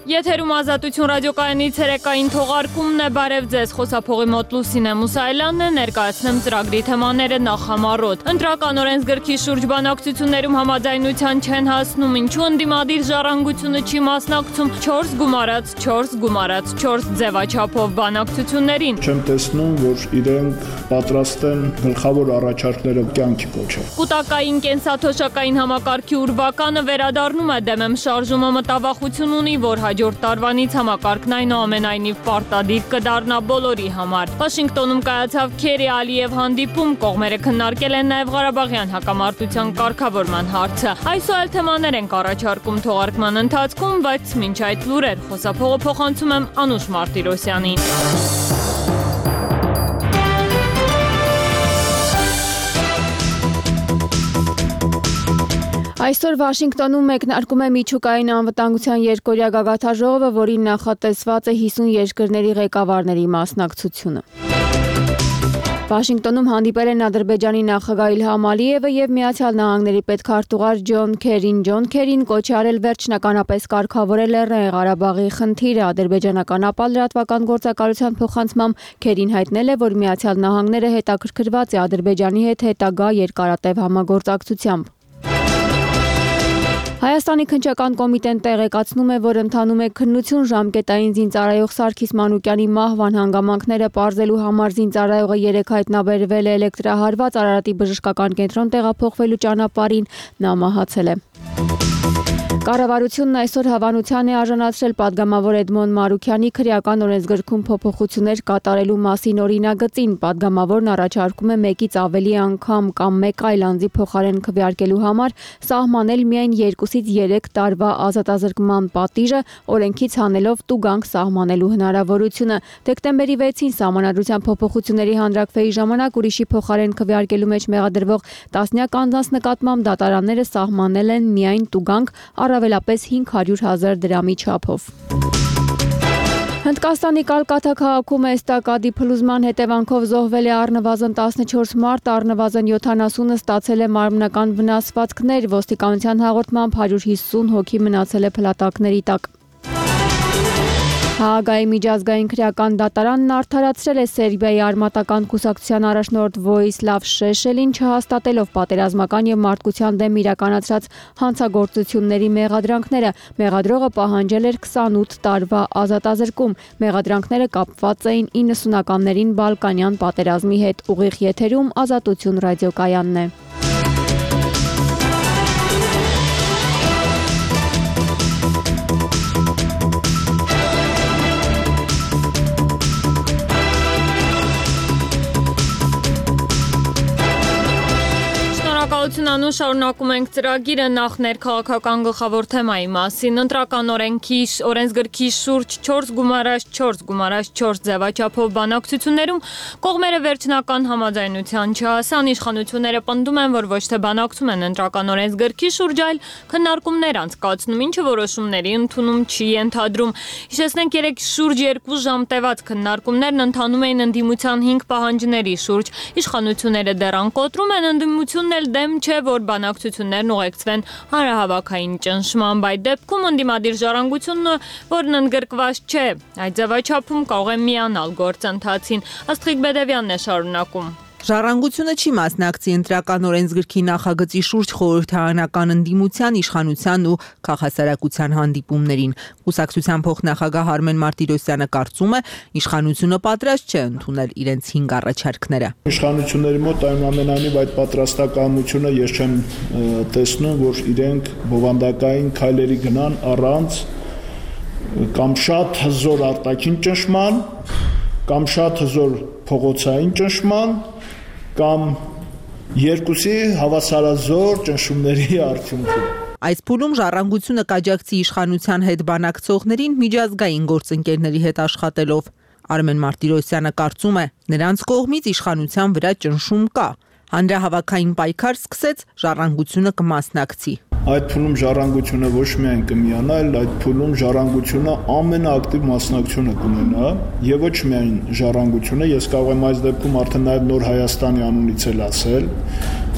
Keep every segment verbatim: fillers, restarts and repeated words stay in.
Եթերում Ազատություն ռադիոկայանի ցերեկային թողարկումն է, բարև ձեզ, խոսափողի մոտ Լուսինե Մուսայելյանն է, ներկայացնեմ ծրագրի թեմաները նախամարոտ։ Ընտրական օրենսգրքի շուրջ բանակցություններում համաձայնության չեն հասնում, ինչու ընդդիմադիր ժառանգությունը չի մասնակցում չորս գումարած չորս գումարած չորս ձևաչափով բանակցություններին։ Չեմ տեսնում, որ իրենք պատրաստ են գլխավոր առաջարկները կյանքի կոչել։ Կուտակային կենսաթոշակային համակարգի ուրվականը վերադառնում է, դեմ եմ շարժումը մտավախություն ունի, որ հաջորդ տարվանից համակարգն այնուամենայնիվ պարտադիր կդառնա բոլորի համար։ Վաշինգտոնում կայացավ Քերի-Ալիև հանդիպում, կողմերը քննարկել են նաև Ղարաբաղյան հակամարտության կարգավորման հարցը։ Այսօր այլ թեմաներ ենք առաջարկում թողարկման ընթացքում, բայց մինչ այդ լուրեր, խոսափողը փոխանցում եմ Անուշ Մարտիրոսյանին։ Այսօր Վաշինգտոնում մեկնարկում է միջուկային անվտանգության երկօրյա գագաթաժողովը, որին նախատեսված է հիսուն երկրների ղեկավարների մասնակցությունը։ Վաշինգտոնում հանդիպել են Ադրբեջանի նախագահ Իլհամ Ալիևը եւ Միացյալ Նահանգների պետքարտուղար Ջոն Քերին։ Ջոն Քերին կոչ է արել վերջնականապես կարգավորել Լեռնային Ղարաբաղի խնդիրը։ Ադրբեջանական ապա լրատվական գործակալության փոխանցմամբ Քերին հայտնել է, որ Միացյալ Նահանգները հետաքրքրված է Ադրբեջանի հետ հետագա երկարատև համագործակցությամբ։ Հայաստանի քննչական կոմիտեն տեղեկացնում է, որ ընթանում է քննություն ժամկետային զինծառայող Սարգիս Մանուկյանի մահվան հանգամանքները պարզելու համար զինծառայողը երեկ հայտնաբերվել է էլեկտրահարված Արարատի բժշկական կենտրոն տեղափոխվելու ճանապարհին, նա մահացել է։ Կառավարությունն այսօր հավանության է արժանացրել падգամավոր Էդմոն Մարուքյանի քրեական օրենսգրքում փոփոխություններ կատարելու մասին օրինագծին։ Падգամավորն առաջարկում է մեկից ավելի անգամ կամ մեկ այլ անձի փոխարեն քվեարկելու համար սահմանել միայն երկուսից երեք տարվա ազատազրկման պատիժը, օրենքից հանելով տուգանք սահմանելու հնարավորությունը։ Դեկտեմբերի վեցին Սահմանադրության փոփոխությունների հանրաքվեի ժամանակ ուրիշի փոխարեն քվեարկելու մեջ մեղադրվող տասնյակ անձանց նկատմամբ դատարանները սահմանել են միայն տուգանք, առավելապես հինգ հարյուր հազար դրամի չափով։ Հնդկաստանի Կալկաթա քաղաքում էստակադի փլուզման հետևանքով զոհվել է առնվազն տասնչորս մարդ, առնվազն յոթանասունը ստացել է մարմնական վնասվածքներ, ոստիկանության հաղորդմամբ հարյուր հիսուն հոգի մնացել է փլատակների տակ։ Հաագայի միջազգային քրեական դատարանն արդարացրել է Սերբիայի արմատական կուսակցության առաջնորդ Վոյիսլավ Շեշելին, չհաստատելով պատերազմական եւ մարդկության դեմ իրականացրած հանցագործությունների մեղադրանքները։ Մեղադրողը պահանջել էր քսանութ տարվա ազատազրկում։ Մեղադրանքները կապված էին իննսունականներին Բալկանյան պատերազմի հետ։ Ուղիղ եթերում Ազատություն ռադիոկայանն է։ Անուշ շարունակում ենք ծրագիրը նախ ներքաղաքական գլխավոր թեմայի մասին։ Ընտրական օրենքի օրենսգրքի շուրջ չորս գումարած չորս գումարած չորս ձևաչափով բանակցություններում կողմերը վերջնական համաձայնության չհասան։ Իշխանությունները պնդում են, որ ոչ թե բանակցում են ընտրական օրենսգրքի շուրջ, այլ քննարկումներ անցկացնում, ինչը որոշումների ընդունում չի ենթադրում։ Հիշեցնենք, երեք շուրջ երկու ժամ տևած քննարկումներն ընթանում էին ընդդիմության հինգ պահանջների շուրջ։ Իշխանությունները դեռ անկոտրում են, ընդդիմությունն էլ դեմ չէ, որ բանակցություններն ուղեկցվեն հանրահավաքային ճնշման։ Այդ դեպքում ընդդիմադիր ժառանգությունը, որն ընդգրկված չէ այդ ձևաչափում, կարող է միանալ գործընթացին։ Աստղիկ Բեդևյանն է շարունակում։ Ժառանգությունը չի մասնակցի ընտրական օրենսգրքի նախագծի շուրջ խորհրդարանական ընդդիմության, իշխանության ու քաղաքասարակության հանդիպումներին։ Կուսակցության փոխնախագահ Արմեն Մարտիրոսյանը կարծում է, իշխանությունը պատրաստ չէ ընդունել իրենց հինգ առաջարկները։ Իշխանությունների մոտ այնուամենայնիվ այդ պատրաստակամությունը ես չեմ տեսնում, որ իրենք բովանդակային քայլերի գնան առանց կամ շատ հզոր արտաքին ճնշման, կամ շատ հզոր փողոցային ճնշման, կամ երկուսի հավասարազոր ճնշումների արդյունքում։ Այս փուլում ժառանգությունը կաջակցի իշխանության հետ բանակցողներին միջազգային գործընկերների հետ աշխատելով։ Արմեն Մարտիրոսյանը կարծում է, նրանց կողմից իշխանության վրա ճնշում կա։ Հանրահավաքային պայքար սկսեց, ժառանգությունը կմասնակցի։ Այդ փուլում ժառանգությունը ոչ միայն կմիանա, այլ այդ փուլում ժառանգությունը ամենաակտիվ մասնակցությունը կունենա եւ ոչ միայն ժառանգությունը, ես կարող եմ այս դեպքում արդեն նաեւ Նոր Հայաստանի անունից էլ ասել,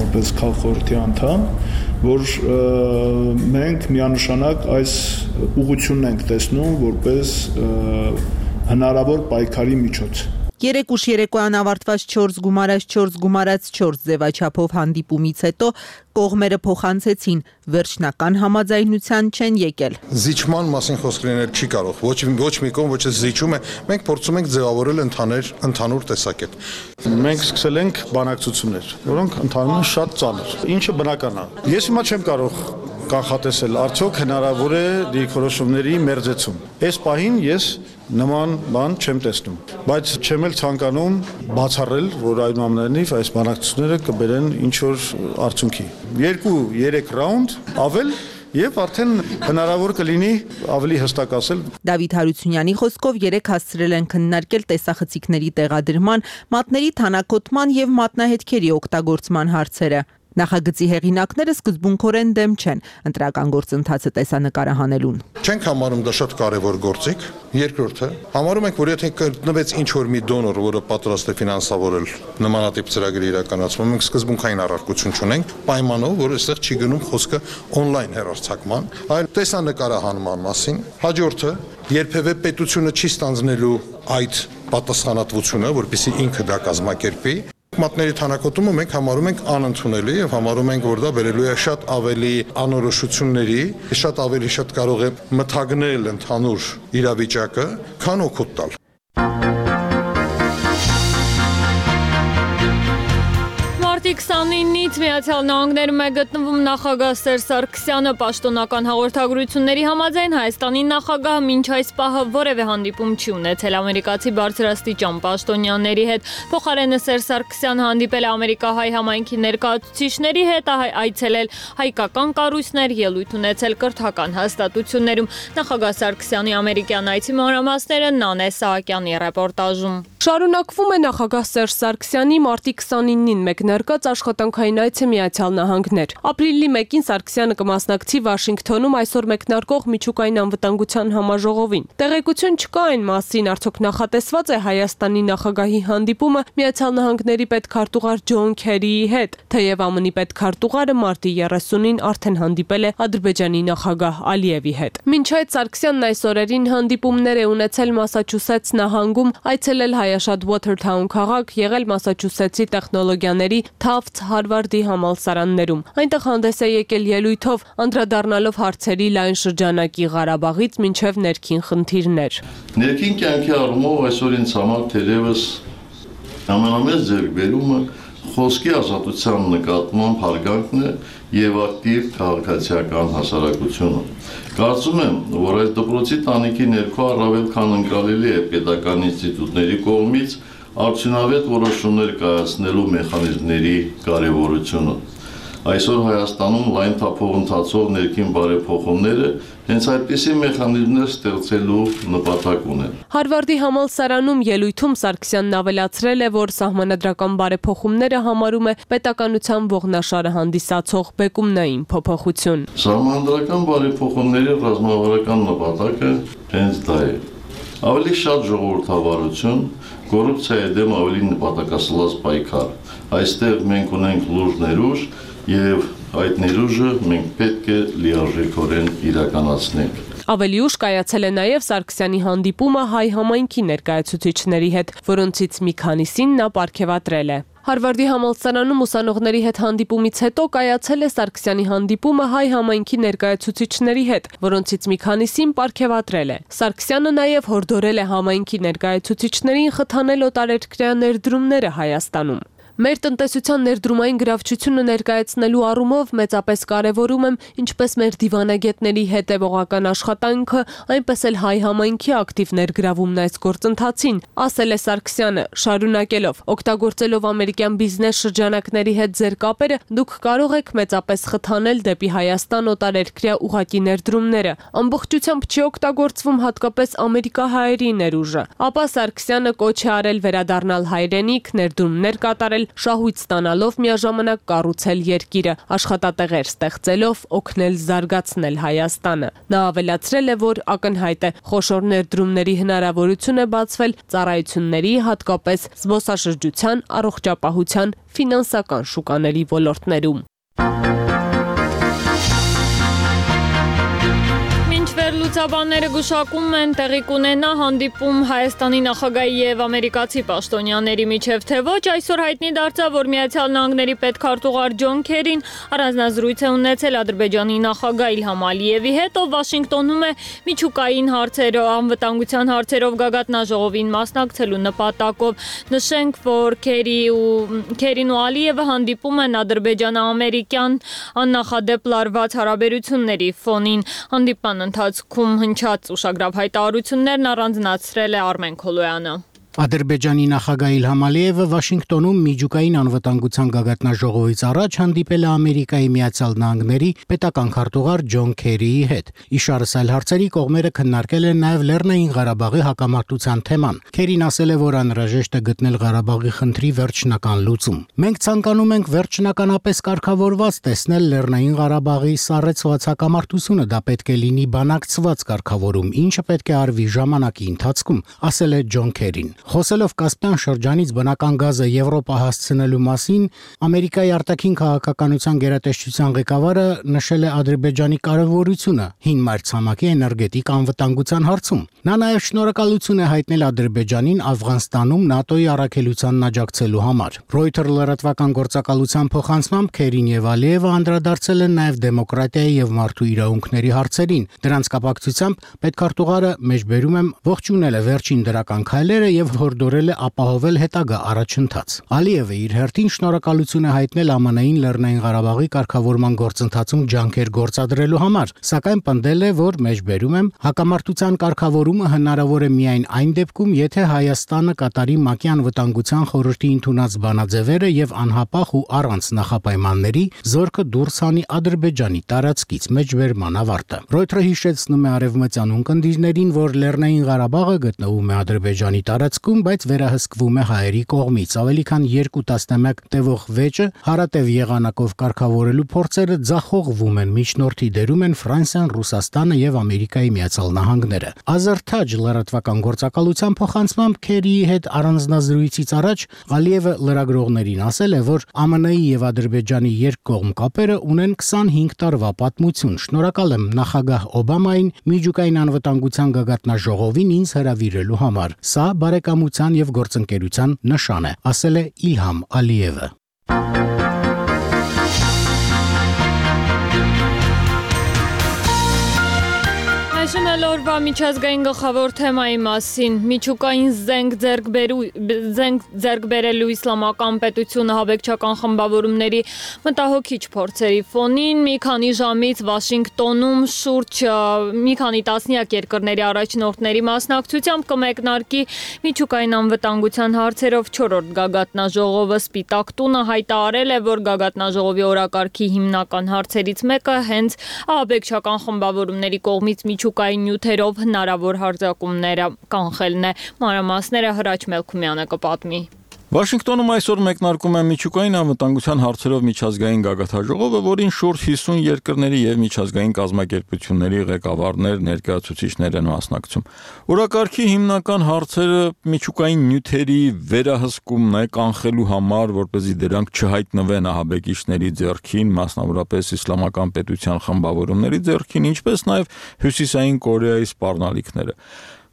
որպես քաղաքորդի անդամ, որ մենք միանշանակ այս ուղղությունն ենք տեսնում որպես հնարավոր պայքարի միջոց։ Երեք ուշ երեկոյան ավարտված չորս գումարած չորս գումարած չորս ձևաչափով հանդիպումից հետո կողմերը փոխանցեցին, վերջնական համաձայնության չեն եկել։ Զիջման մասին խոսք լինել չի կարող, ոչ ոչ մի կողմ ոչ զիջում է, մենք փորձում ենք ձևավորել ընդհանուր ընդհանուր տեսակետ։ Մենք սկսել ենք բանակցություններ, որոնք ընթանում են շատ ծանր, ինչը բնական է։ Ես հիմա չեմ կարող կանխատեսել, արդյոք հնարավոր է դիրքորոշումների մերձեցում։ Այս պահին ես նման բան չեմ տեսնում, բայց չեմ էլ ցանկանում բացառել, որ այնուամենայնիվ այս բանակցությունները կբերեն ինչ-որ արդյունքի։ Երկու երեք ռաունդ ավել Եվ արդեն հնարավոր կլինի ավելի հստակ ասել։ Դավիթ Հարությունյանի խոսքով երեք հասցրել են քննարկել տեսախցիկների տեղադրման, մատների թանաքոտման եւ մատնահետքերի օգտագործման հարցերը։ Նախագծի հեղինակները սկզբունքորեն դեմ չեն ընտրական գործընթացը տեսանկարահանելուն։ Չենք համարում դա շատ կարևոր գործիք։ Երկրորդը, համարում ենք, որ եթե գտնվեց ինչ-որ մի դոնոր, որը պատրաստ է ֆինանսավորել նմանատիպ ծրագրի իրականացումը, մենք սկզբունքային առարկություն չունենք, պայմանով, որ այստեղ չի գնում խոսքը օնլայն հեռարձակման, այլ տեսանկարահանման մասին։ Հաջորդը, երբևէ պետությունը չի ստանձնելու այդ պատասխանատվությունը, որպեսզի ինքը դա կազմակերպի։ Մատների թանաքոտումը մենք համարում ենք անընդունելի եւ համարում ենք, որ դա բերելու է շատ ավելի անորոշությունների, շատ ավելի շատ կարող է մթագնել ընդհանուր իրավիճակը, քան օգուտ տալ։ Մարտի քսանինից Միացյալ Նահանգներում է գտնվում նախագահ Սերժ Սարգսյանը պաշտոնական հաղորդագրությունների համաձայն Հայաստանի նախագահը մինչ այս պահը որևէ հանդիպում չի ունեցել ամերիկացի բարձրաստիճան պաշտոնյաների հետ։ Փոխարենը Սերժ Սարգսյանը հանդիպել է ամերիկահայ համայնքի ներկայացուցիչների հետ, այցելել հայկական կառույցներ, ելույթ ունեցել կրթական հաստատություններում։ Նախագահ Սարգսյանի ամերիկյան այցի մանրամասները Նանե Սահակյանի ռեպորտաժում։ Շարունակվում է նախագահ Սերժ Սարգսյանի մարտի քսանինին մեկնարկած աշխատանքային այցը Միացյալ Նահանգներ։ Ապրիլի մեկին Սարգսյանը կմասնակցի Վաշինգթոնում այսօր մեկնարկող միջուկային անվտանգության համաժողովին։ Տեղեկություն չկա այն մասին, արդյոք նախատեսված է Հայաստանի նախագահի հանդիպումը Միացյալ Նահանգների պետքարտուղար Ջոն Քերիի հետ, թեև ԱՄՆ-ի պետքարտուղարը մարտի երեսունին արդեն հանդիպել է Ադրբեջանի նախագահ Ալիևի հետ։ Մինչ այդ Սարգսյանն այս օրերին հանդիպումներ է ունեցել Մասաչուսեթս նահանգում, այցելել Հայաշատ Watertown քաղաք, եղել Մասաչուսեթսի տեխնոլոգիաների Tufts Հարվարդի համալսարաններում։ Այնտեղ հանդես է եկել ելույթով, անդրադառնալով հարցերի լայն շրջանակի Ղարաբաղից մինչև ներքին խնդիրներ։ Ներքին կյանքի առումով այսօր ինձ համար թերևս ամենամեծ ձեռքբերումը խոսքի ազատության նկատմամբ հարգանքն է եւ ակտիվ քաղաքացիական հասարակությունը։ Կարծում եմ, որ այս դպրոցի տանիքի ներքո առավել քան ընկալելի է պետական ինստիտուտների կողմից արդյունավետ որոշումներ կայացնելու մեխանիզմների կարևորությունը։ Այսօր Հայաստանում լայն թափով ընթացող ներքին բարեփոխումները հենց այդպիսի մեխանիզմներ ստեղծելու նպատակ ունեն։ Հարվարդի համալսարանում ելույթում Սարգսյանն ավելացրել է, որ սահմանադրական բարեփոխումները համարում է պետականության ողնաշարը հանդիսացող բեկումնային փոփոխություն։ Սահմանադրական բարեփոխումների ռազմավարական նպատակը հենց դա է։ Ավելի շատ ժողովրդավարություն, կոռուպցիայի դեմ ավելի նպատակասլաց պայքար։ Այստեղ մենք ունենք լուրջ ներուժ եւ այդ ներուժը մենք պետք է լիարժեքորեն իրականացնենք։ Ավելի ուշ կայացել է նաև Սարգսյանի հանդիպումը հայ համայնքի ներկայացուցիչների հետ, որոնցից մի քանիսին նա պարգևատրել է։ Հարվարդի համալսարանում ուսանողների հետ հանդիպումից հետո կայացել է Սարգսյանի հանդիպումը հայ համայնքի ներկայացուցիչների հետ, որոնցից մի քանիսին պարգևատրել է։ Սարգսյանը նաև հորդորել է համայնքի ներկայացուցիչներին խթանել օտարերկրյա ներդրումները Հայաստանում։ Մեր տնտեսության ներդրումային գրավչությունը ներկայացնելու առումով մեծապես կարևորում եմ ինչպես մեր դիվանագետների հետևողական աշխատանքը, այնպես էլ հայ համայնքի ակտիվ ներգրավումն այս գործընթացին, ասել է Սարգսյանը, շարունակելով. օգտագործելով ամերիկյան բիզնես շրջանակների հետ ձեր կապերը, դուք կարող եք մեծապես խթանել դեպի Հայաստան օտարերկրյա ուղղակի ներդրումները։ Ամբողջությամբ չի օգտագործվում հատկապես ամերիկահայերի ներուժը։ Ապա Սարգսյանը կոչ է արել վերադառնալ հայրենիք, ներդրումներ կատարել կառավարել, շահույթ ստանալով միաժամանակ կառուցել երկիրը, աշխատատեղեր ստեղծելով օգնել զարգացնել Հայաստանը։ Նա ավելացրել է, որ ակնհայտ է խոշոր ներդրումների հնարավորություն է բացվել ծառայությունների, հատկապես զբոսաշրջության, առողջապահության, ֆինանսական շուկաների ոլորտներում։ Լուծաբանները գուշակում են տեղի կունենա հանդիպում Հայաստանի նախագահի եւ ամերիկացի պաշտոնյաների միջև, թե ոչ այսօր հայտնի դարձավ, որ Միացյալ Նահանգների պետքարտուղար Ջոն Քերին առանձնազրույց է ունեցել Ադրբեջանի նախագահ Իլհամ Ալիևի հետ, ով Վաշինգտոնում է միջուկային հարցերով, անվտանգության հարցերով գագաթնաժողովին մասնակցելու նպատակով։ Նշենք, որ Քերի ու Քերին ու Ալիևը հանդիպում են ադրբեջանա-ամերիկյան աննախադեպ լարված հարաբերությունների ֆոնին։ Հանդիպման ընթացքում հնչած ուշագրավ հայտարարություններն առանձնացրել է Արմեն Քոլոյանը։ Ադրբեջանի նախագահ Իլհամ Ալիևը Վաշինգտոնում միջուկային անվտանգության գագաթնաժողովից առաջ հանդիպել է Ամերիկայի Միացյալ Նահանգների պետական քարտուղար Ջոն Քերիի հետ։ Իշարս այլ հարցերի կողմերը քննարկել են նաև Լեռնային Ղարաբաղի հակամարտության թեման։ Քերին ասել է, որ անհրաժեշտ է գտնել Ղարաբաղի խնդրի վերջնական լուծում։ Մենք ցանկանում ենք վերջնականապես կարգավորված տեսնել Լեռնային Ղարաբաղի սառեցված հակամարտությունը, դա պետք է լինի բանակցված կարգավորում, ինչը պետք է արվի ժամանակի ընթացքում, ասել է Ջոն Քերին։ Խոսելով Կասպյան շրջանից բնական գազը Եվրոպա հասցնելու մասին, Ամերիկայի արտաքին քաղաքականության գերատեսչության ղեկավարը նշել է Ադրբեջանի կարևորությունը հին մայրցամաքի էներգետիկ անվտանգության հարցում։ Նա նաև շնորհակալություն է հայտնել Ադրբեջանին Աֆղանստանում ՆԱՏՕ-ի առաքելությանն աջակցելու համար։ Reuters լրատվական գործակալության փոխանցմամբ Քերին եւ Ալիևը անդրադարձել են նաև դեմոկրատիայի եւ մարդու իրավունքների հարցերին։ Դրանց կապակցությամբ պետքարտուղարը մեջբերում եմ ողջունել է վերջին դրական քայլերը եւ հորդորել է ապահովել հետագա առաջընթաց։ Ալիևը իր հերթին շնորհակալություն է հայտնել ԱՄՆ-ին Լեռնային Ղարաբաղի կարգավորման գործընթացում ջանքեր գործադրելու համար, սակայն պնդել է, որ մեջբերում եմ հակամարտության կարգավորումը հնարավոր է միայն այն դեպքում, եթե Հայաստանը կատարի ՄԱԿ-ի անվտանգության խորհրդի ընդունած բանաձևերը եւ անհապաղ ու առանց նախապայմանների զորքը դուրս հանի Ադրբեջանի տարածքից մեջբերման ավարտը։ Reuters-ը հիշեցնում է արևմտյան ունկնդիրներին, որ Լեռնային Ղարաբաղը գտնվում է Ադրբեջանի տարածքում, բայց վերահսկվում է հայերի կողմից։ Ավելի քան երկու տասնամյակ տևող վեճը հարատև եղանակով կարգավորելու փորձերը ձախողվում են, միջնորդի դերում են Ֆրանսիան, Ռուսաստանը եւ Ամերիկայի Միացյալ Նահանգները։ Ազերթաջ լրատվական գործակալության փոխանցմամբ Քերիի հետ առանձնազրույցից առաջ Ալիևը լրագրողներին ասել է, որ ԱՄՆ-ի եւ Ադրբեջանի երկկողմ կապերը ունեն քսանհինգ տարվա պատմություն։ Շնորհակալ եմ նախագահ Օբամային միջուկային անվտանգության գագաթնաժողովին ինձ հրավիրելու համար։ Սա բարեկամության եւ գործընկերության նշան է, ասել է Իլհամ Ալիևը։ Այժմ էլ օրվա միջազգային գլխավոր թեմայի մասին։ Միջուկային զենք ձեռք բերու զենք ձեռք բերելու իսլամական պետությունը հավեկչական խմբավորումների մտահոգիչ փորձերի ֆոնին մի քանի ժամից Վաշինգտոնում շուրջ մի քանի տասնյակ երկրների առաջնորդների մասնակցությամբ կմեկնարկի միջուկային անվտանգության հարցերով չորրորդ գագաթնաժողովը։ Սպիտակ տունը հայտարարել է, որ գագաթնաժողովի օրակարգի հիմնական հարցերից մեկը հենց հավեկչական խմբավորումների կողմից միջուկային նյութերով հնարավոր հարձակումները կանխելն է։ Մանրամասները Հրաչ Մելքումյանը կպատմի։ Վաշինգտոնում այսօր մեկնարկում է միջուկային անվտանգության հարցերով միջազգային գագաթնաժողովը, որին շուրջ հիսուն երկրների եւ միջազգային կազմակերպությունների ղեկավարներ, ներկայացուցիչներ են մասնակցում։ Օրակարգի հիմնական հարցերը միջուկային նյութերի վերահսկումն է կանխելու համար, որպեսզի դրանք չհայտնվեն ահաբեկիչների ձեռքին, մասնավորապես իսլամական պետության խմբավորումների ձեռքին, ինչպես նաեւ Հյուսիսային Կորեայի սպառնալիքները։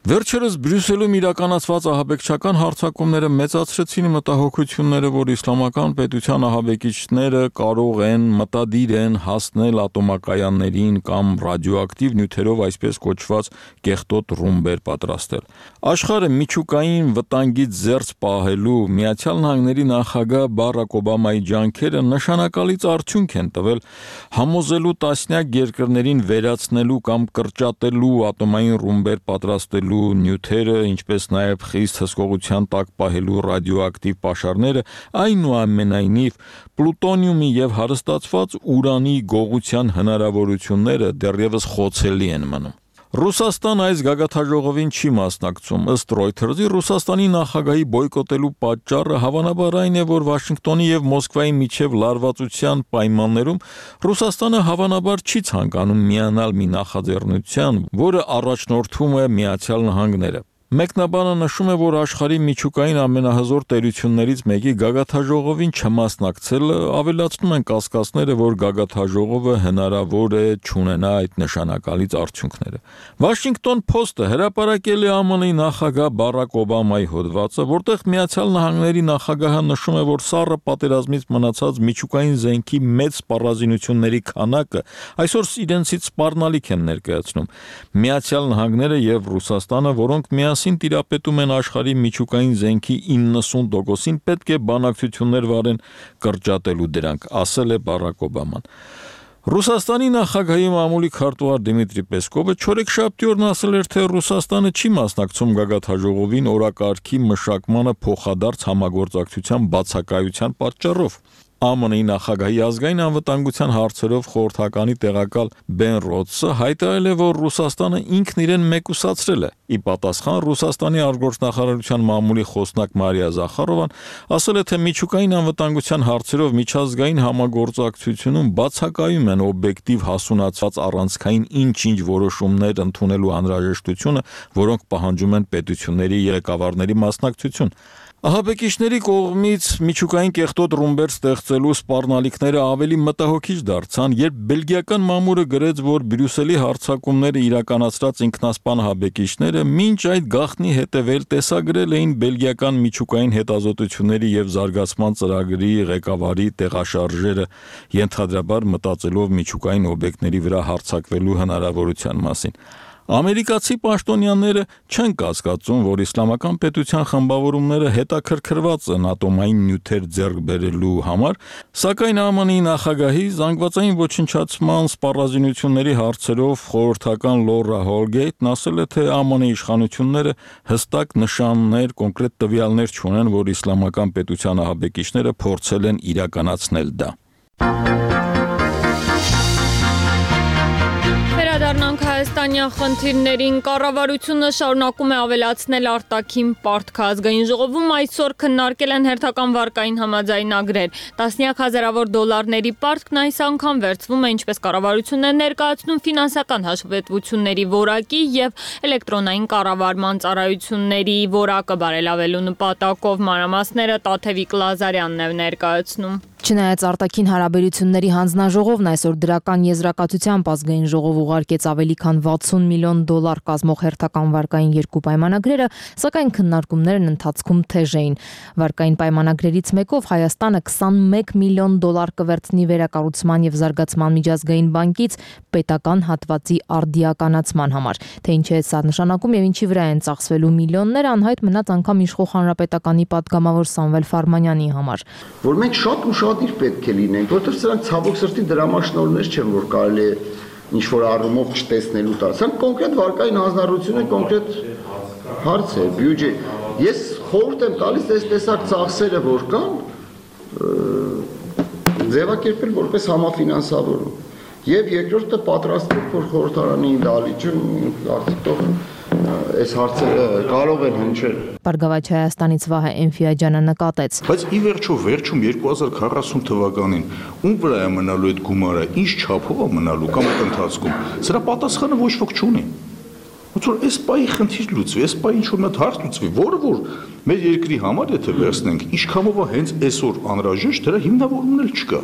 Վերջերս Բրյուսելում իրականացված ահաբեկչական հարձակումները մեծացրեցին մտահոգությունները, որ իսլամական պետության ահաբեկիչները կարող են, մտադիր են հասնել ատոմակայաններին կամ ռադիոակտիվ նյութերով այսպես կոչված կեղտոտ ռումբեր պատրաստել։ Աշխարհը միջուկային վտանգից զերծ պահելու Միացյալ Նահանգների նախագահ Բարակ Օբամայի ջանքերը նշանակալից արդյունք են տվել, համոզելու տասնյակ երկրներին վերացնելու կամ կրճատելու ատոմային ռումբեր պատրաստելու նյութերը, ինչպես նաև խիստ հսկողության տակ պահելու ռադիոակտիվ պաշարները, այնուամենայնիվ պլուտոնիումի եւ հարստացված ուրանի գողության հնարավորությունները դեռևս խոցելի են մնում։ Ռուսաստան այս գագաթաժողովին չի մասնակցում։ Ըստ Reuters-ի Ռուսաստանի նախագահի բոյկոտելու պատճառը հավանաբար այն է, որ Վաշինգտոնի եւ Մոսկվայի միջև լարվածության պայմաններում Ռուսաստանը հավանաբար չի ցանկանում միանալ մի նախաձեռնության, որը առաջնորդում է Միացյալ Նահանգները։ Մեկնաբանը նշում է, որ աշխարհի միջուկային ամենահզոր տերություններից մեկի գագաթաժողովին չմասնակցելը ավելացնում են կասկածները, որ գագաթաժողովը հնարավոր է չունենա այդ նշանակալից արդյունքները։ Washington Post-ը հրապարակել է ԱՄՆ-ի նախագահ Բարակ Օբամայի հոդվածը, որտեղ Միացյալ Նահանգների նախագահը նշում է, որ սառը պատերազմից մնացած միջուկային զենքի մեծ սպառազինությունների քանակը այսօր իրենցից սպառնալիք են ներկայացնում։ Միացյալ Նահանգները եւ Ռուսաստանը, որոնք միասին տիրապետում են աշխարհի միջուկային զենքի իննսուն տոկոսին, պետք է բանակցություններ վարեն կրճատելու դրանք, ասել է Բարակ Օբաման։ Ռուսաստանի նախագահի մամուլի քարտուղար Դիմիտրի Պեսկովը չորեքշաբթի օրն ասել էր, թե Ռուսաստանը չի մասնակցում գագաթաժողովին օրակարգի մշակմանը փոխադարձ համագործակցության բացակայության պատճառով։ ԱՄՆ-ի նախագահի ազգային անվտանգության հարցերով խորհրդականի տեղակալ Բեն Ռոդսը հայտարարել է, որ Ռուսաստանը ինքն իրեն մեկուսացրել է։ Ի պատասխան Ռուսաստանի արտգործնախարարության մամուլի խոսնակ Մարիա Զախարովան ասել է, թե միջուկային անվտանգության հարցերով միջազգային համագործակցությունում բացակայում են օբյեկտիվ հասունացած առանցքային ինչ-ինչ որոշումներ ընդունելու անհրաժեշտությունը, որոնք պահանջում են պետությունների ղեկավարների մասնակցություն։ Ահաբեկիչների կողմից միջուկային կեղտոտ ռումբեր ստեղծելու սպառնալիքները ավելի մտահոգիչ դարձան, երբ բելգիական մամուլը գրեց, որ Բրյուսելի հարձակումները իրականացրած ինքնասպան ահաբեկիչները մինչ այդ գաղտնի հետևել տեսագրել էին բելգիական միջուկային հետազոտությունների եւ զարգացման ծրագրի ղեկավարի տեղաշարժերը, ենթադրաբար մտածելով միջուկային օբյեկտների վրա հարձակվելու հնարավորության մասին։ Ամերիկացի պաշտոնյաները չեն կասկածում, որ իսլամական պետության խմբավորումները հետաքրքրված են ատոմային նյութեր ձեռք բերելու համար, սակայն ԱՄՆ-ի նախագահի զանգվածային ոչնչացման սպառազինությունների հարցերով խորհրդական Լորա Հոլգեյթն ասել է, թե ԱՄՆ իշխանությունները հստակ նշաններ, կոնկրետ տվյալներ չունեն, որ իսլամական պետության ահաբեկիչները փորձել են իրականացնել դա։ Վերադառնանք հայաստանյան խնդիրներին, կառավարությունը շարունակում է ավելացնել արտաքին պարտքը։ Ազգային ժողովում այսօր քննարկել են հերթական վարկային համաձայնագրեր։ Տասնյակ հազարավոր դոլարների պարտքն այս անգամ վերցվում է, ինչպես կառավարությունն է ներկայացնում, ֆինանսական հաշվետվությունների որակի եւ էլեկտրոնային կառավարման ծառայությունների որակը բարելավելու նպատակով։ Մանրամասները Տաթևիկ Լազարյանն է ներկայացնում։ Չնայած արտաքին հարաբերությունների հանձնաժողովն այսօր դրական եզրակացությամբ ազգային ժողով ուղարկեց ավելի քան վաթսուն միլիոն դոլար կազմող հերթական վարկային երկու պայմանագրերը, սակայն քննարկումներն ընթացքում թեժ էին։ Վարկային պայմանագրերից մեկով Հայաստանը քսանմեկ միլիոն դոլար կվերցնի վերակառուցման եւ զարգացման միջազգային բանկից պետական հատվածի արդիականացման համար։ Թե ինչ է սա նշանակում եւ ինչի վրա են ծախսվելու միլիոնները, անհայտ մնաց անգամ իշխող հանրապետականի падգամավոր Սամվել Ֆարմանյանի համար։ Որ մենք շատ ու շատ իր պետք է լինենք, որովհետև սրանք ցավոք սրտի դրամաշնորհներ չեն, որ կարելի է ինչ որ առումով չտեսնելու տալ։ Սրանք կոնկրետ վարկային հանձնառություն է, կոնկրետ հարց է, բյուջե։ Ես խորհուրդ եմ տալիս այս տեսակ ծախսերը, որ կան, ձևակերպել որպես համաֆինանսավորում։ Եվ երկրորդը պատրաստվել, որ խորհրդարանի դալիճը արդյունքով այս հարցերը կարող են հնչել։ Բարգավաճ Հայաստանից Վահե Էնֆիաջյանը նկատեց։ Բայց ի վերջո վերջում երկու հազար քառասուն թվականին ում վրա է մնալու այդ գումարը, ինչ չափով է մնալու կամ այդ ընթացքում, սրա պատասխանը ոչ ոք չունի։ Ոնց որ այս պայի խնդիր լուծվի, այս պայի ինչ որ մի հարց լուծվի, որը որ մեր երկրի համար եթե վերցնենք, ինչքանով է հենց այսօր անհրաժեշտ, դրա հիմնավորումն էլ չկա։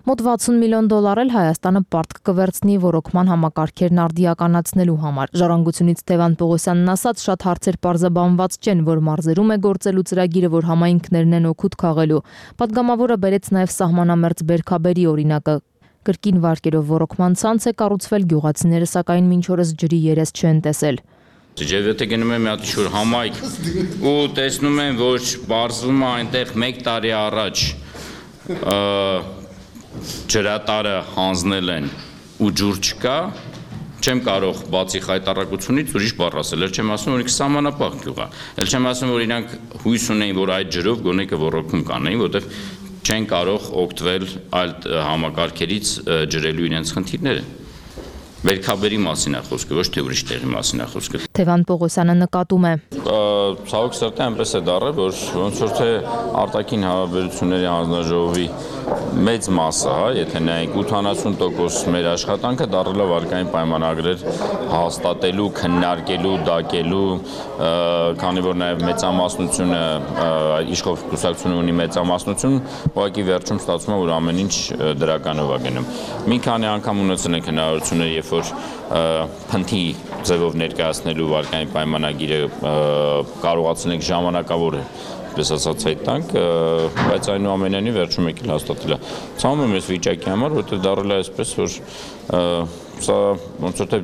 Մոտ վաթսուն միլիոն դոլար էլ Հայաստանը պարտք կվերցնի ռոռոկման համակարգերն արդիականացնելու համար։ Ժառանգությունից Տևան Պողոսյանն ասաց, շատ հարցեր պարզաբանված չեն, որ մարզերում է գործելու ծրագիրը, որ համայնքներն են օգուտ քաղելու։ Պատգամավորը բերեց նաև սահմանամերձ Բերքաբերի օրինակը։ Կրկին վարկերով ռոռոկման ցանց է կառուցվել, գյուղացիները սակայն մինչ օրս ջրի երես չեն տեսել։ Եվ եթե գնում եմ մի հատ շուր համայնք ու տեսնում եմ, որ բարձվում է այնտեղ մեկ տարի առաջ ջրատարը հանձնել են ու ջուր չկա, չեմ կարող բացի խայտարակությունից ուրիշ բառ ասել, էլ չեմ ասում, որ ինքը սահմանապահ գյուղ է, էլ չեմ ասում, որ իրանք հույս ունեին, որ այդ ջրով գոնե կոռոկում կանեին, որտեղ չեն կարող օգտվել այլ համակարգերից ջրելու իրենց խնդիրները։ Վերքաբերի մասին է խոսքը, ոչ թե ուրիշ տեղի մասին է խոսքը։ Թևան Պողոսյանը նկատում է. Ցավոք սրտի այնպես է դառել, որ ոնց որ թե արտաքին հարաբերությունների հանձնաժողովի մեծ մասը, հա, եթե նայենք ութանասուն տոկոս մեր աշխատանքը դառել է վարկային պայմանագրեր հաստատելու, քննարկելու, դակելու, քանի որ նաև մեծամասնությունը իշխող կուսակցությունը ունի մեծամասնություն, ուղղակի վերջում ստացվում է, որ ամեն ինչ դրականով է գնում։ Մի քանի անգամ ունեցել ենք հնարավորություններ, երբ որ փնթի ձևով ներկայացնելու վարկային պայմանագիրը կարողացել ենք ժամանակավոր պես ասած հայտանք, բայց այնուամենայնիվ վերջում եկել հաստատել է։ Ցավում եմ այս վիճակի համար, որովհետև դառել է այսպես, որ սա ոնց որ թե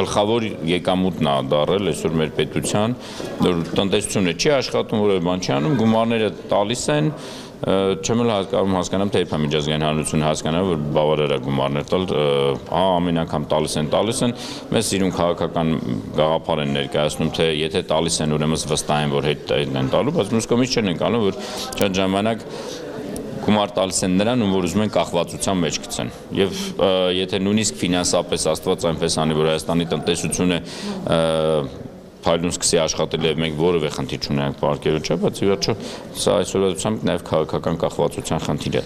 գլխավոր եկամուտն է դառել այսօր մեր պետության, որ տնտեսությունը չի աշխատում, որևէ բան չի անում, գումարները տալիս են, չեմ էլ հասկանամ, թե երբ է միջազգային հանրությունը հասկանա, որ բավարար է գումարներ տալ, հա, ամեն անգամ տալիս են, տալիս են, մեզ սիրուն քաղաքական գաղափար են ներկայացնում, թե եթե տալիս են, ուրեմն վստահ են, որ հետ են տալու, բայց մյուս կողմից չեն ընկալում, որ շատ ժամանակ գումար տալիս են նրան, ում որ ուզում են կախվածության մեջ գցեն։ Եվ եթե նույնիսկ ֆինանսապես Աստված այնպես անի, որ Հայաստանի տնտեսությունը փայլուն սկսի աշխատել եւ մենք որևէ խնդիր չունենք պարկերու չէ, բայց ի վերջո սա այսօրացությամբ նաեւ քաղաքական կախվածության խնդիր է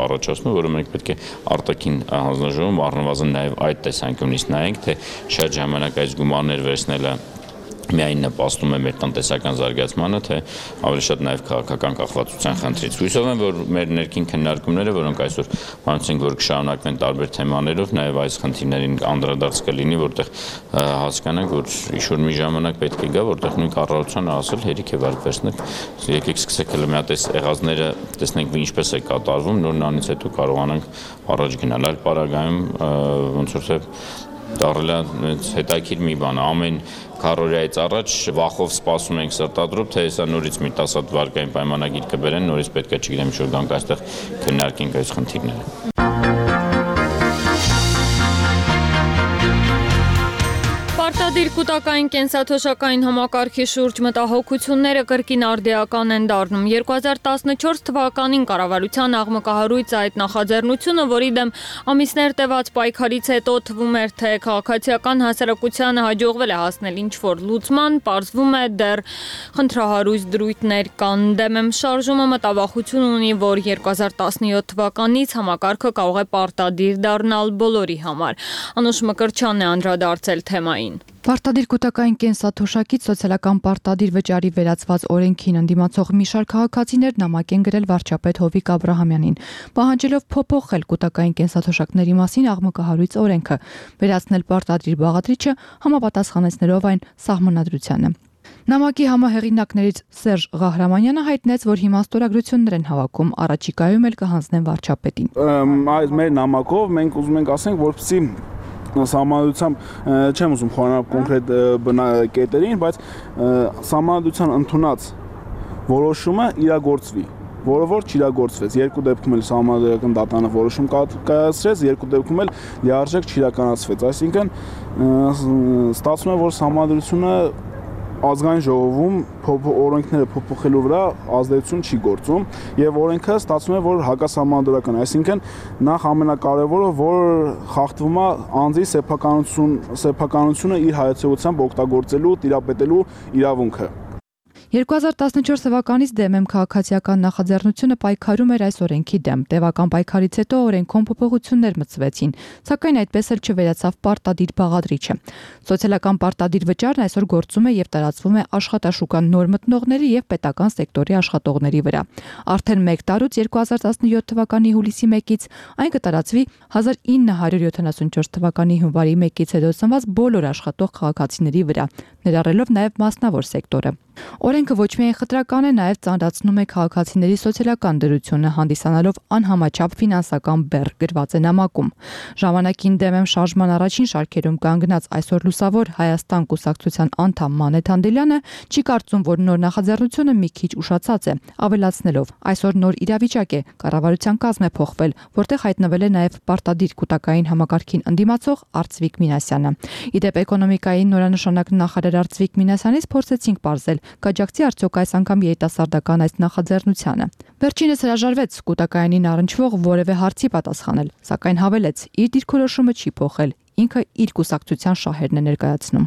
առաջացնում, որը մենք պետք է արտաքին հանձնաժողովում առնվազն նաեւ այդ տեսանկյունից նայենք, թե շատ ժամանակ այս գումարներ վերցնելը միայն նպաստում է մեր տնտեսական զարգացմանը, թե ավելի շատ նաև քաղաքական կախվածության խնդրից։ Հույսով եմ, որ մեր ներքին քննարկումները, որոնք այսօր բանացինք, որ կշարունակվեն տարբեր թեմաներով, նաև այս խնդիրներին անդրադարձ կլինի, որտեղ հասկանանք, որ ինչ-որ մի ժամանակ պետք է գա, որտեղ նույն կառավարությանը ասել հերիք է վարկ վերցնել, եկեք սկսեք հələ մի հատ այս եղածները տեսնենք ինչպես է կատարվում, նոր նանից հետո կարողանանք առաջ գնալ։ Այլ պարագայում ոնց որ թե դառել է հետաքրքիր մի բան, ամեն քառորիայից առաջ վախով սպասում ենք սրտադրում, թե հեսա նորից մի տասատ վարկային պայմանագիր կբերեն, նորից պետք է չգիտեմ ինչ-որ գանք այստեղ քննարկենք այս խնդիրները։ Պարտադիր կൂട്ടակային կենսաթոշակային համակարգի շուրջ մտահոգությունները կրկին արդիական են դառնում։ երկու հազար տասնչորս թվականին կառավարության աղմկահարույց այդ նախաձեռնությունը, որի դեմ ամիսներ տևած պայքարից հետո թվում էր, թե քաղաքացիական հասարակությանը հաջողվել է հասնել ինչ-որ լուծման, պարզվում է դեռ խնդրահարույց դրույթներ կան։ Դեմ եմ շարժումը մտավախություն ունի, որ երկու հազար տասնյոթ թվականից համակարգը կարող է պարտադիր դառնալ բոլորի համար։ Անուշ Մկրտչյանն է անդրադարձել թեմային։ Պարտադիր կൂട്ടակային կենսաթոշակից սոցիալական պարտադիր վճարի վերածված օրենքին ընդդիմացող մի շարք քաղաքացիներ նամակ են գրել վարչապետ Հովիկ Աբրահամյանին, պահանջելով փոփոխել կൂട്ടակային կենսաթոշակների մասին աղմկահարույց օրենքը, վերացնել պարտադիր բաղադրիչը համապատասխանեցնելով այն սահմանադրությանը։ Նամակի համահեղինակներից Սերժ Ղահրամանյանը հայտնեց, որ հիմա ստորագրություններ են հավաքում, առաջիկայում էլ կհանձնեն վարչապետին։ Այս մեր նամակով մենք ուզում ենք ասենք, որպեսզի Սահմանադրությամբ չեմ ուզում խորանալ կոնկրետ կետերին, բայց սահմանադրության ընդունած որոշումը իրագործվի, որը որ չիրագործվեց։ Երկու դեպքում էլ սահմանադրական դատարանը որոշում կայացրեց, երկու դեպքում էլ լիարժեք չիրականացվեց։ Այսինքն ստացվում է, որ սահմանադրությունը ազգային ժողովում օրենքները փոփոխելու վրա ազդեցություն չի գործում եւ օրենքը ստացվում է, որ հակասահմանադրական է, այսինքն նախ ամենակարևորը, որ խախտվում է անձի սեփականություն, սեփականությունը իր հայացողությամբ օգտագործելու, տիրապետելու իրավունքը։ երկու հազար տասնչորս թվականից դեմ եմ քաղաքացիական նախաձեռնությունը պայքարում էր այս օրենքի դեմ։ Տևական պայքարից հետո օրենքոն փոփոխություններ մտցվեցին, սակայն այդպես էլ չվերացավ պարտադիր բաղադրիչը։ Սոցիալական պարտադիր վճարն այսօր գործում է եւ տարածվում է աշխատաշուկան նոր մտնողների եւ պետական սեկտորի աշխատողների վրա։ Արդեն մեկ տարուց երկու հազար տասնյոթ թվականի հուլիսի մեկից այն կտարածվի հազար ինը հարյուր յոթանասունչորս թվականի հունվարի մեկից հետո ծնված բոլոր աշխատող քաղաքացիների վրա, ներառելով նաեւ մասնավոր սեկտորը։ Օրենքը ոչ միայն խտրական է, նաև ծանրացնում է քաղաքացիների սոցիալական դրությունը, հանդիսանալով անհամաչափ ֆինանսական բեռ, գրված է նամակում։ Ժամանակին դեմ եմ շարժման առաջին շարքերում կանգնած այսօր լուսավոր Հայաստան կուսակցության անդամ Մանեթ Անդելյանը չի կարծում, որ նոր նախաձեռնությունը մի քիչ ուշացած է, ավելացնելով. այսօր նոր իրավիճակ է, կառավարության կազմ է փոխվել, որտեղ հայտնվել է նաև պարտադիր կൂട്ടակային համակարգին ընդդիմացող Արծվիկ Մինասյանը։ Իդեպ էկոնոմիկայի նորանշանակ նախարար նախարար Ծվիկ Մինասյանից փորձեցինք պարզել, կաջակցի արդյոք այս անգամ երիտասարդական այս նախաձեռնությանը։ Վերջինս հրաժարվեց կൂട്ടակայանին առնչվող որևէ հարցի պատասխանել, սակայն հավելեց, իր դիրքորոշումը չի փոխել, ինքը իր կուսակցության շահերն է ներկայացնում։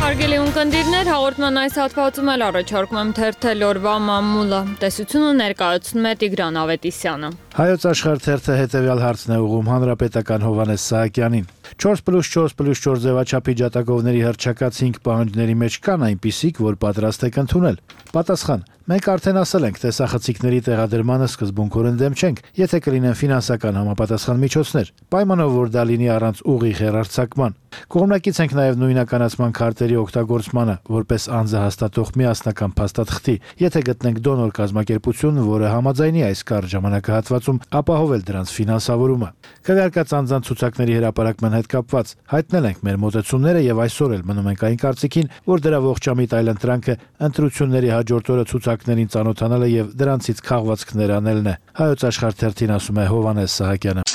Հարգելի ունկնդիրներ, հաղորդման այս հատվածում էլ առաջարկում եմ թերթել օրվա մամուլը։ Տեսությունը ներկայացնում է Տիգրան Ավետիսյանը։ Հայոց աշխարհ թերթը հետևյալ հարցն է ուղղում հանրապետական Հովհաննես Սահակյանին։ չորս պլյուս չորս պլյուս չորս ձևաչափի ջատագովների հռչակած հինգ պահանջների մեջ կան այնպիսիք, որ պատրաստ եք ընդունել։ Պատասխան. Մենք արդեն ասել ենք, տեսախցիկների տեղադրմանը սկզբունքորեն դեմ չենք, եթե կլինեն ֆինանսական համապատասխան միջոցներ, պայմանով որ դա լինի առանց ուղիղ հեռարձակման։ Կողմնակից ենք նաև նույնականացման քարտերի օգտագործմանը, որպես անձը հաստատող միասնական փաստաթղթի, եթե գտնենք դոնոր կազմակերպություն, որը համաձայնի այս կարճ ժամանակահատվածում ապահովել դրանց ֆինանսավորումը։ Քվեարկած անձանց ցուցակների հրապարակման հետ կապված հայտնել ենք մեր մոտեցումները եւ այսօր էլ մնում ենք այն կարծիքին, որ դրա ողջամիտ այլընտրանքը ընտրությունների հաջորդ օրը ցուցակներին ծանոթանալը եւ դրանցից քաղվածքներ անելն է։ Հայոց աշխարհ թերթին ասում է Հովհաննես Սահակյանը։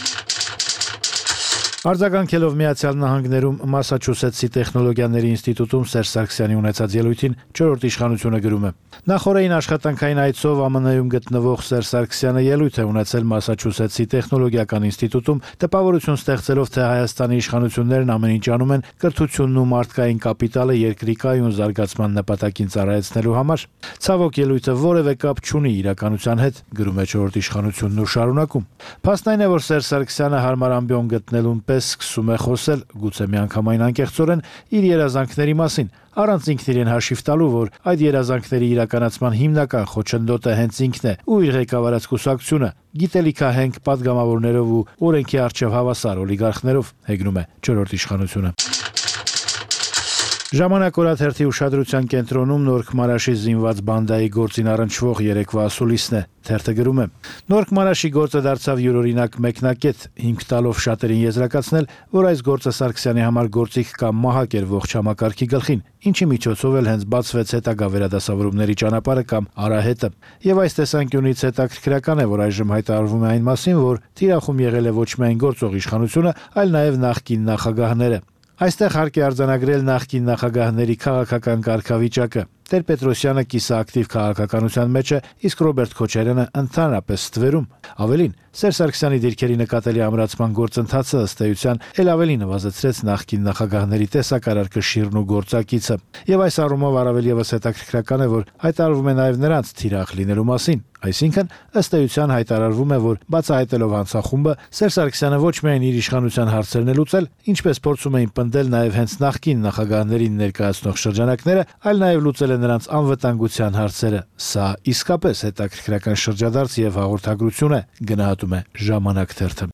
Արձագանքելով Միացյալ Նահանգներում Մասաչուսեթսի տեխնոլոգիաների ինստիտուտում Սերժ Սարգսյանի ունեցած ելույթին չորրորդ իշխանությունը գրում է. Նախորդային աշխատանքային այցով ԱՄՆ-ում գտնվող Սերժ Սարգսյանը ելույթ է ունեցել Մասաչուսեթսի տեխնոլոգիական ինստիտուտում, տպավորություն ստեղծելով, թե Հայաստանի իշխանություններն ամեն ինչ անում են կրթությունն ու մարդկային կապիտալը երկրի կայուն զարգացման նպատակին ծառայեցնելու համար։ Ցավոք ելույթը որևէ կապ չունի իրականության հետ, գրում է չորրորդ իշխանությունն ու շարունակում. Փաստն այն է, որ Սերժ Սարգսյանը հարմար ամբիոն գտնելուն պես սկսում է խոսել, գուցե միանգամայն անկեղծորեն, իր երազանքների մասին, առանց ինքն իրեն հաշիվ տալու, որ այդ երազանքների իրականացման հիմնական խոչընդոտը հենց ինքն է ու իր ղեկավարած կուսակցությունը, գիտելիքահենք պատգամավորներով ու օրենքի առջև հավասար օլիգարխներով, հեգնում է չորրորդ իշխանությունը։ Ժամանակ օրաթերթի ուշադրության կենտրոնում Նորք Մարաշի զինված բանդայի գործին առնչվող երեկվա ասուլիսն է։ Թերթը գրում է. Նորք Մարաշի գործը դարձավ յուրօրինակ մեկնակետ, հիմք տալով շատերին եզրակացնել, որ այս գործը Սարգսյանի համար գործիք կամ մահակ էր ողջ համակարգի գլխին, ինչի միջոցով էլ հենց բացվեց հետագա վերադասավորումների ճանապարհը կամ արահետը։ Եվ այս տեսանկյունից հետաքրքրական է, որ այժմ հայտարարվում է այն մասին, որ թիրախում եղել է ոչ միայն գործող իշխանությունը, այլ նաև նախկին նախագահները։ Այստեղ հարկ է արձանագրել նախկին նախագահների քաղաքական կարգավիճակը։ Տեր-Պետրոսյանը կիսաակտիվ քաղաքականության մեջ է, իսկ Ռոբերտ Քոչարյանը ընդհանրապես ստվերում։ Ավելին, Սերժ Սարգսյանի դիրքերի նկատելի ամրացման գործընթացը ըստ էության էլ ավելի նվազեցրեց նախկին նախագահների տեսակարար կշիռն ու գործակիցը։ Եվ այս առումով առավել եւս հետաքրքրական է, որ հայտարարվում է նաև նրանց թիրախ լինելու մասին։ Այսինքն, ըստ էության հայտարարվում է, որ բացահայտելով հանցախումբը, Սերժ Սարգսյանը ոչ միայն իր իշխանության հարցերն է լուծել, ինչպես փորձում էին պնդել նաև հենց նախկին նախագահներին ներկայացնող շրջանակները, այլ նաև լուծել է նրանց անվտանգության հարցերը։ Սա իսկապես հետաքրքրական շրջադարձ եւ հաղորդագրություն է, գնահատում է Ժամանակ թերթը։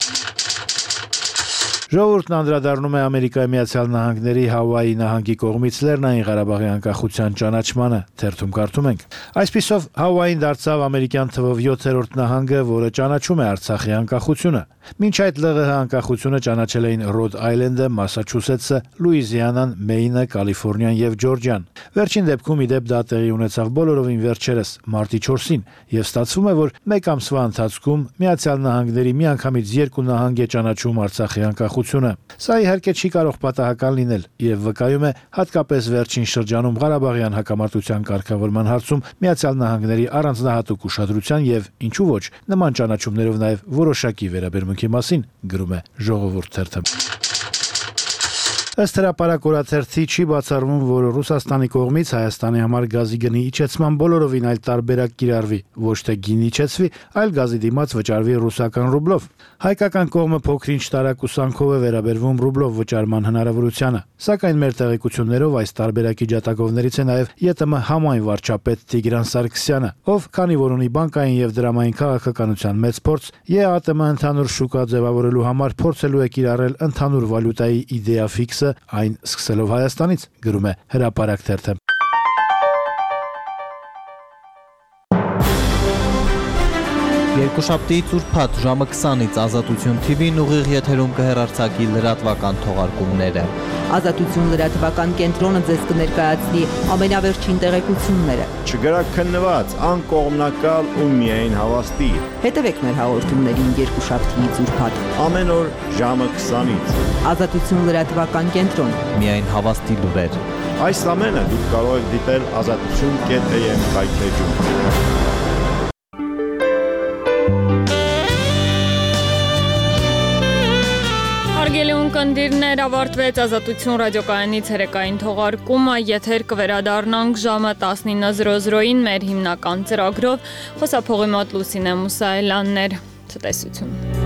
Ժողովուրդն անդրադառնում է Ամերիկայի Միացյալ Նահանգների Հավայի նահանգի կողմից Լեռնային Ղարաբաղի անկախության ճանաչմանը, թերթում կարդում ենք. Այսպիսով Հավային դարձավ ամերիկյան թվով յոթերորդ նահանգը, որը ճանաչում է Արցախի անկախությունը։ Մինչ այդ ԼՂՀ անկախությունը ճանաչել էին Ռոդ Այլենդը, Մասաչուսեթսը, Լուիզիանան, Մեյնը, Կալիֆոռնիան եւ Ջորջիան։ Վերջին դեպքում ի դեպ դա տեղի ունեցավ բոլորովին վերջերս, մարտի չորսին, եւ ստացվում է, որ մեկ ամսվա ընթացքում Միացյալ Նահանգների միանգամից երկու նահանգ է ճանաչում Արցախի անկախությունը։ Սա իհարկե չի կարող պատահական լինել եւ վկայում է հատկապես վերջին շրջանում Ղարաբաղյան հակամարտության կարգավորման հարցում Միացյալ Նահանգների առանձնահատուկ ուշադրության եւ ինչու ոչ նման ճանաչումներով նաեւ որոշակի վերաբերմունքի մասին, գրում է Ժողովուրդ թերթը։ Ըստ հրապարակ օրաթերթի չի բացառվում, որ Ռուսաստանի կողմից Հայաստանի համար գազի գնի իջեցման բոլորովին այլ տարբերակ կիրառվի, ոչ թե գին իջեցվի, այլ գազի դիմաց վճարվի ռուսական ռուբլով։ Հայկական կողմը փոքրինչ տարակուսանքով է վերաբերվում ռուբլով վճարման հնարավորությանը, սակայն մեր տեղեկություններով այս տարբերակի ջատագովներից է նաև ԵՏՄ համայն վարչապետ Տիգրան Սարգսյանը, ով քանի որ ունի բանկային եւ դրամային քաղաքականության մեծ փորձ, ԵԱՏՄ ընդհանուր շուկա ձևավորելու համար փորձելու է կիրառել ընդհանուր վալյուտայի իդեա ֆիքսը, այն սկսելով Հայաստանից, գրում է Հրապարակ թերթը։ Երկուշաբթիից ուրբաթ ժամը քսանից Ազատություն թի վին ուղիղ եթերում կհեռարձակի լրատվական թողարկումները։ Ազատություն լրատվական կենտրոնը ձեզ կներկայացնի ամենավերջին տեղեկությունները։ Չգրաքննված, անկողմնակալ ու միայն հավաստի։ Հետևեք մեր հաղորդումներին երկուշաբթիից ուրբաթ ամեն օր ժամը քսանից։ Ազատություն լրատվական կենտրոն։ Միայն հավաստի լուրեր։ Այս ամենը դուք կարող եք դիտել ազատություն կետ էյ էմ կայքեջում։ Հարգելի ունկնդիրներ, ավարտվեց Ազատություն ռադիոկայանի ցերեկային թողարկումը, եթեր կվերադառնանք ժամը տասնինը զրո զրոյին մեր հիմնական ծրագրով։ Խոսափողի մոտ Լուսինե Մուսայելյանն էր, ցտեսություն։